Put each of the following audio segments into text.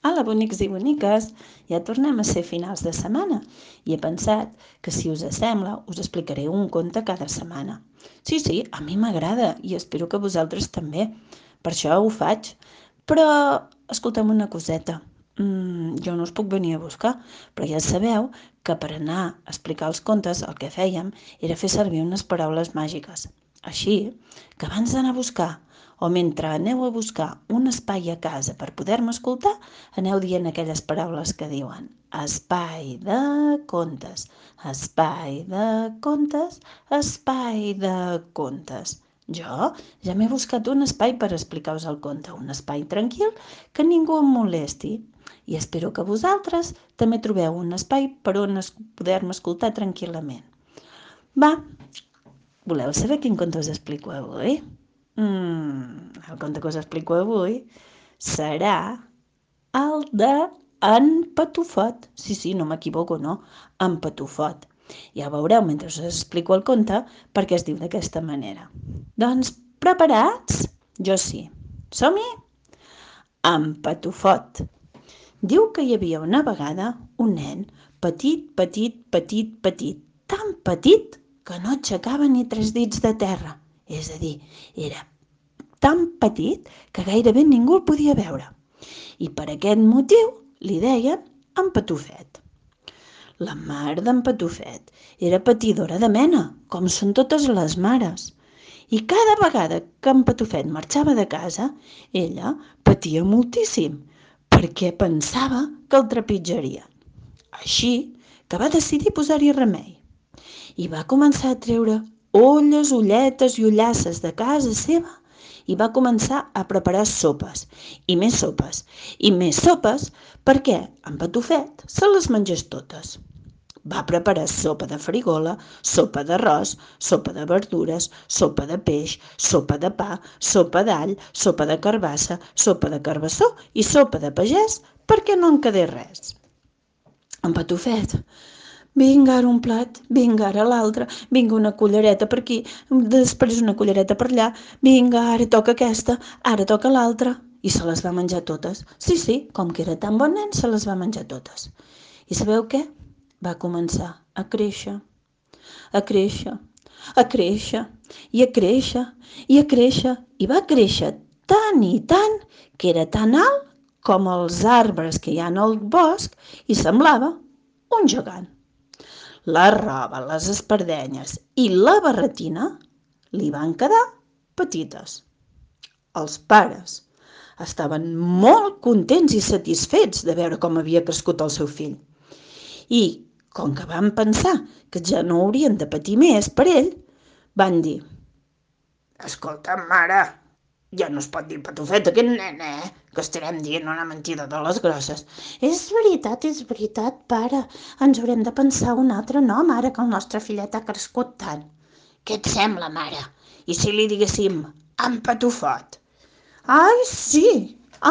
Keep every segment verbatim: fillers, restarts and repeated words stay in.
Hola, bonics i boniques! Ja tornem a ser finals de setmana i he pensat que, si us sembla, us explicaré un conte cada setmana. Sí, sí, a mi m'agrada i espero que vosaltres també. Per això ho faig. Però, escolta'm una coseta. Mm, jo no us puc venir a buscar, però ja sabeu que per anar a explicar els contes el que fèiem era fer servir unes paraules màgiques. Així que abans d'anar a buscar o mentre aneu a buscar un espai a casa per poder-me escoltar, aneu dient aquelles paraules que diuen espai de contes, espai de contes, espai de contes. Jo ja m'he buscat un espai per explicar-vos el conte, un espai tranquil que ningú em molesti. I espero que vosaltres també trobeu un espai per on poder-me escoltar tranquil·lament. Va, voleu saber quin conte us explico avui? Mm, el conte que us explico avui serà el de en Patufot. Sí, sí, no m'equivoco, no? En Patufot. Ja ho veureu mentre us explico el conte perquè es diu d'aquesta manera. Doncs, preparats? Jo sí. Som-hi? En Patufot. Diu que hi havia una vegada un nen petit, petit, petit, petit, tan petit que no aixecava ni tres dits de terra. És a dir, era tan petit que gairebé ningú el podia veure. I per aquest motiu li deien en Patufet. La mare d'en Patufet era patidora de mena, com són totes les mares. I cada vegada que en Patufet marxava de casa, ella patia moltíssim, perquè pensava que el trepitjarien. Així que va decidir posar-hi remei. I va començar a treure olles, ulletes i ullasses de casa seva i va començar a preparar sopes, i més sopes, i més sopes, perquè en Patufet se les mengés totes. Va preparar sopa de farigola, sopa d'arròs, sopa de verdures, sopa de peix, sopa de pa, sopa d'all, sopa de carbassa, sopa de carbassó i sopa de pagès, perquè no en quedés res. En Patufet, vinga ara un plat, vinga ara l'altre, vinga una cullereta per aquí, després una cullereta per allà, vinga, ara toca aquesta, ara toca l'altra. I se les va menjar totes. Sí, sí, com que era tan bon nen, se les va menjar totes. I sabeu què? Va començar a créixer, a créixer, a créixer, i a créixer, i a créixer, i va créixer tant i tant que era tan alt com els arbres que hi ha al bosc i semblava un gegant. La roba, les espardenyes i la barretina li van quedar petites. Els pares estaven molt contents i satisfets de veure com havia crescut el seu fill. I, com que van pensar que ja no haurien de patir més per ell, van dir: escolta, mare, ja no es pot dir Patufet aquest nen, eh? Que estarem dient una mentida de les grosses. És veritat, és veritat, pare. Ens haurem de pensar un altre nom ara que el nostre fillet ha crescut tant. Què et sembla, mare? I si li diguéssim en Patufot? Ai, sí,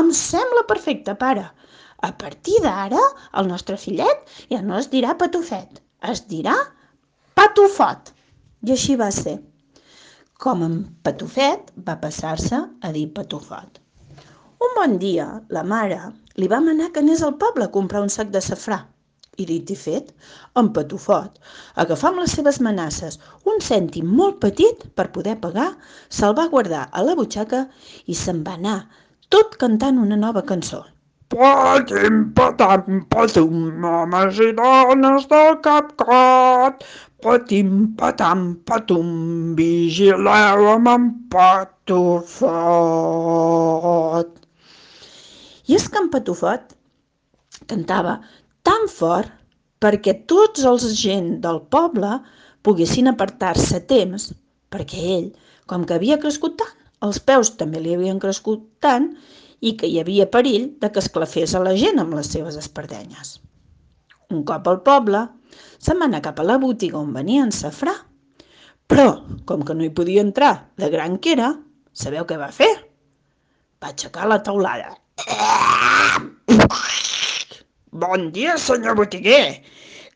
em sembla perfecte, pare. A partir d'ara, el nostre fillet ja no es dirà Patufet, es dirà Patufot. I així va ser. Com en Patufet va passar-se a dir Patufot. Un bon dia, la mare li va manar que anés al poble a comprar un sac de safrà. I dit i fet, en Patufot, agafar amb les seves manasses un cèntim molt petit per poder pagar, se'l va guardar a la butxaca i se'n va anar, tot cantant una nova cançó. Patim, patam, patum, homes i dones del CapCat. Patim, patam, patum, vigileu amb en Patufot. I és que en Patufot cantava tan fort perquè tots els gent del poble poguessin apartar-se a temps, perquè ell, com que havia crescut tant, els peus també li havien crescut tant i que hi havia perill de que esclafés a la gent amb les seves espardenyes. Un cop al poble, se'n va anar cap a la botiga on venien safrà, però, com que no hi podia entrar de gran que era, sabeu què va fer? Va aixecar la teulada. Bon dia, senyor botiguer,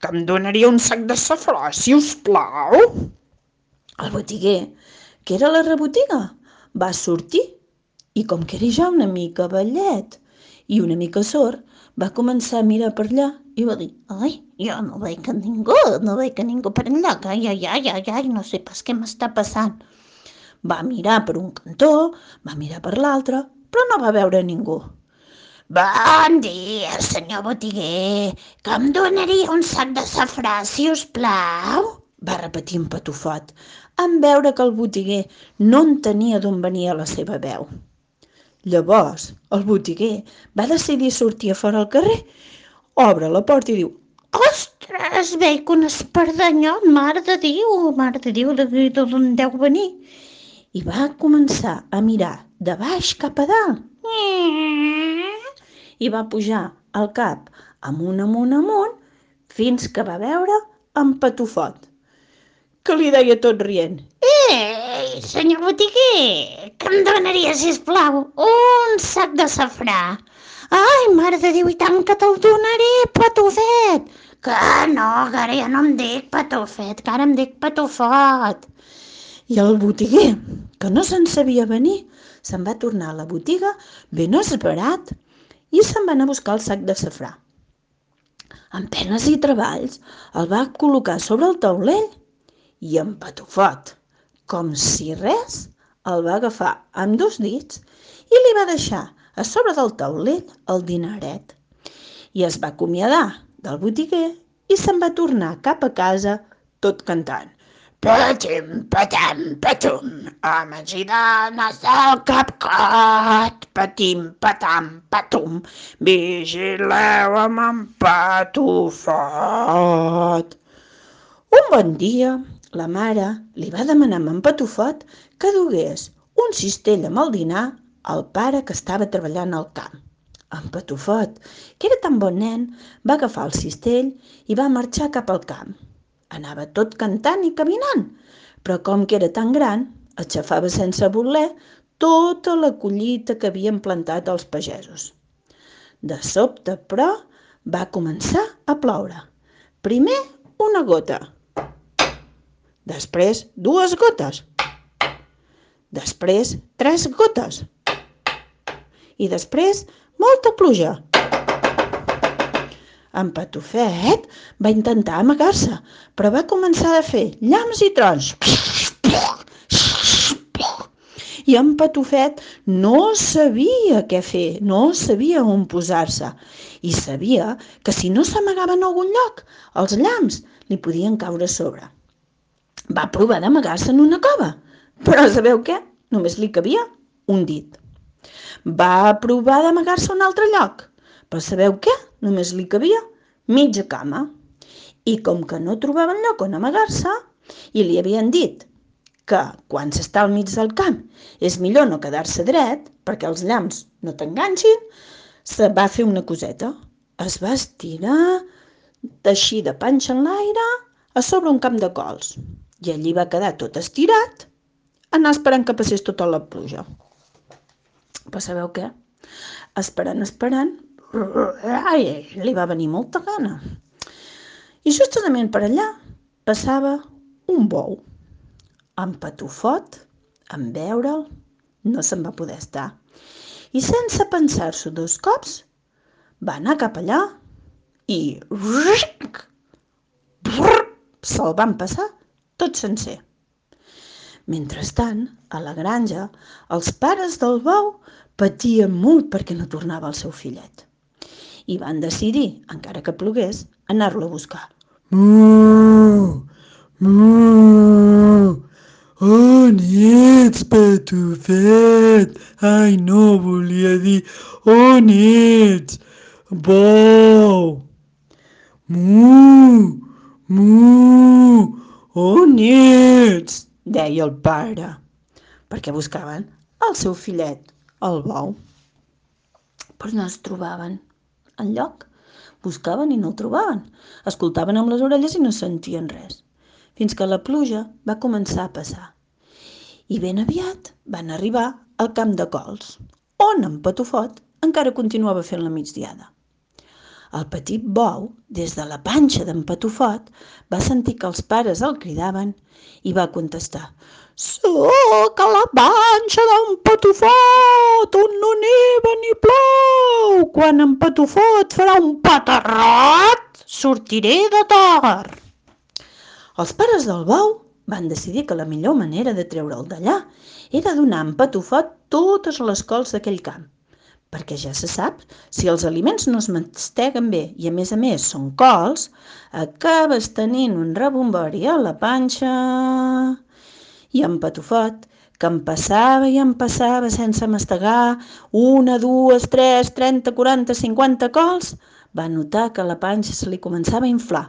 que em donaria un sac de safrà, si us plau? El botiguer, que era a la rebotiga, va sortir i, com que era ja una mica vellet I una mica sord va començar a mirar per allà i va dir: ai, jo no veig a ningú, no veig a ningú per enlloc, ai, ai, ai, ai, ai, no sé pas què m'està passant. Va mirar per un cantó, va mirar per l'altre, però no va veure ningú. Bon dia, senyor botiguer, que em donaria un sac de safrà, si us plau? Va repetir en Patufot, en veure que el botiguer no entenia d'on venia la seva veu. Llavors, el botiguer va decidir sortir a fora al carrer, obre la porta i diu: ostres, veig un espardanyot, mare de Déu, mare de Déu, d'on deu venir? I va començar a mirar de baix cap a dalt. I va pujar el cap amunt, amunt, amunt, fins que va veure en Patufot, que li deia tot rient: ei, senyor botiguer, que em donaria, sisplau, un sac de safrà? Ai, mare de Déu, i tant que te'l donaré, Patufet! Que no, que ara ja no em dic Patufet, que ara em dic Patufot. I el botiguer, que no se'n sabia venir, se'n va tornar a la botiga ben esverat i se'n va anar a buscar el sac de safrà. Amb penes i treballs el va col·locar sobre el taulell i en Patufot, com si res, el va agafar amb dos dits i li va deixar a sobre del taulell el dineret. I es va acomiadar del botiguer i se'n va tornar cap a casa tot cantant: patim, patam, patum, homes i dones del CapCat. Patim, patam, patum, vigileu amb en Patufot. Un bon dia, la mare li va demanar a en Patufot que dugués un cistell amb el dinar al pare que estava treballant al camp. En Patufot, que era tan bon nen, va agafar el cistell i va marxar cap al camp. Anava tot cantant i caminant, però com que era tan gran, aixafava sense voler tota la collita que havien plantat els pagesos. De sobte, però, va començar a ploure. Primer una gota, després dues gotes, després tres gotes i després molta pluja. En Patufet va intentar amagar-se, però va començar a fer llamps i trons. I en Patufet no sabia què fer, no sabia on posar-se. I sabia que si no s'amagava en algun lloc, els llamps li podien caure a sobre. Va provar d'amagar-se en una cova, però sabeu què? Només li cabia un dit. Va provar d'amagar-se a un altre lloc, però sabeu què? Només li cabia mitja cama. I com que no trobaven lloc on amagar-se, i li havien dit que quan s'està al mig del camp és millor no quedar-se dret perquè els llamps no t'enganxin, se va fer una coseta. Es va estirar, així de panxa en l'aire, a sobre un camp de cols. I allí va quedar tot estirat, anar esperant que passés tota la pluja. Però sabeu què? Esperant, esperant, ai, li va venir molta gana. I justament per allà passava un bou. En Patufot, en veure'l, no se'n va poder estar. I sense pensar-s'ho dos cops, va anar cap allà i se'l van passar tot sencer. Mentrestant, a la granja, els pares del bou patien molt perquè no tornava el seu fillet. I van decidir, encara que plogués, anar-lo a buscar. Mu, mu, on ets, Patufet? Ai, no volia dir on ets, bou. Mu, mu, on ets? Deia el pare, perquè buscaven el seu fillet, el bou. Però no es trobaven enlloc. Buscaven i no el trobaven. Escoltaven amb les orelles i no sentien res. Fins que la pluja va començar a passar. I ben aviat van arribar al camp de cols, on en Patufot encara continuava fent la migdiada. El petit bou, des de la panxa d'en Patufot, va sentir que els pares el cridaven i va contestar: «Soc a la panxa d'en Patufot, on no neva ni plou. Quan en Patufot farà un paterrot, sortiré de tor». Els pares del bou van decidir que la millor manera de treure'l d'allà era donar a en Patufot totes les cols d'aquell camp, perquè ja se sap, si els aliments no es masteguen bé i a més a més són cols, acabes tenint un rebombori a la panxa. I en Patufot, que em passava i em passava sense mastegar una, dues, tres, trenta, quaranta, cinquanta cols, va notar que la panxa se li començava a inflar.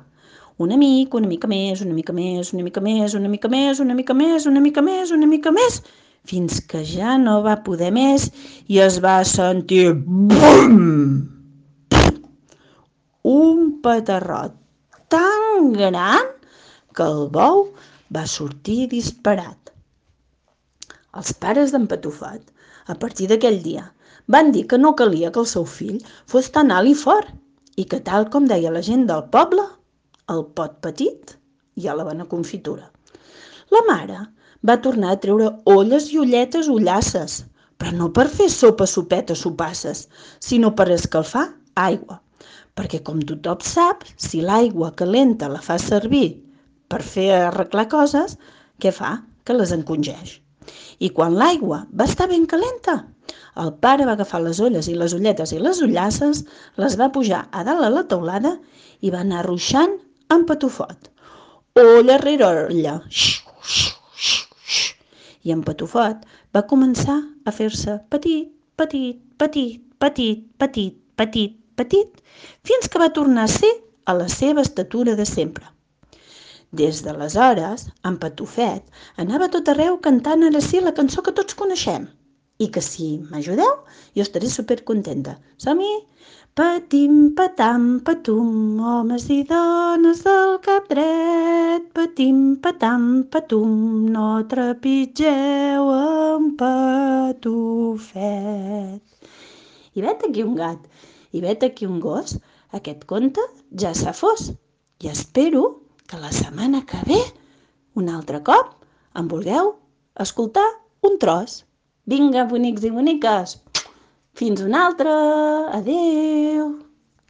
Una mica, una mica més, una mica més, una mica més, una mica més, una mica més, una mica més, una mica més, fins que ja no va poder més i es va sentir BUM! Un petarrot tan gran que el bou va sortir disparat. Els pares d'en Patufot, a partir d'aquell dia, van dir que no calia que el seu fill fos tan alt i fort i que, tal com deia la gent del poble, el pot petit i a la bona confitura. La mare va tornar a treure olles i olletes ullasses, però no per fer sopa, sopetes, sopasses, sinó per escalfar aigua, perquè com tothom sap, si l'aigua calenta la fa servir per fer arreglar coses, què fa? Que les encongeix. I quan l'aigua va estar ben calenta, el pare va agafar les olles i les olletes i les ullasses, les va pujar a dalt a la teulada i va anar ruixant en Patufot. Olla rere olla. I en Patufot va començar a fer-se petit, petit, petit, petit, petit, petit, petit, fins que va tornar a ser a la seva estatura de sempre. Des d'aleshores, en Patufet anava a tot arreu cantant ara sí la cançó que tots coneixem. I que si m'ajudeu, jo estaré supercontenta. Som-hi? Patim, patam, patum, homes i dones del cap dret. Patim, patam, patum, no trepitgeu en Patufet. I vet aquí un gat, i vet aquí un gos. Aquest conte ja s'ha fos. I espero que la setmana que ve, un altre cop, em vulgueu escoltar un tros. Vinga, bonics i boniques, fins una altra, adeu!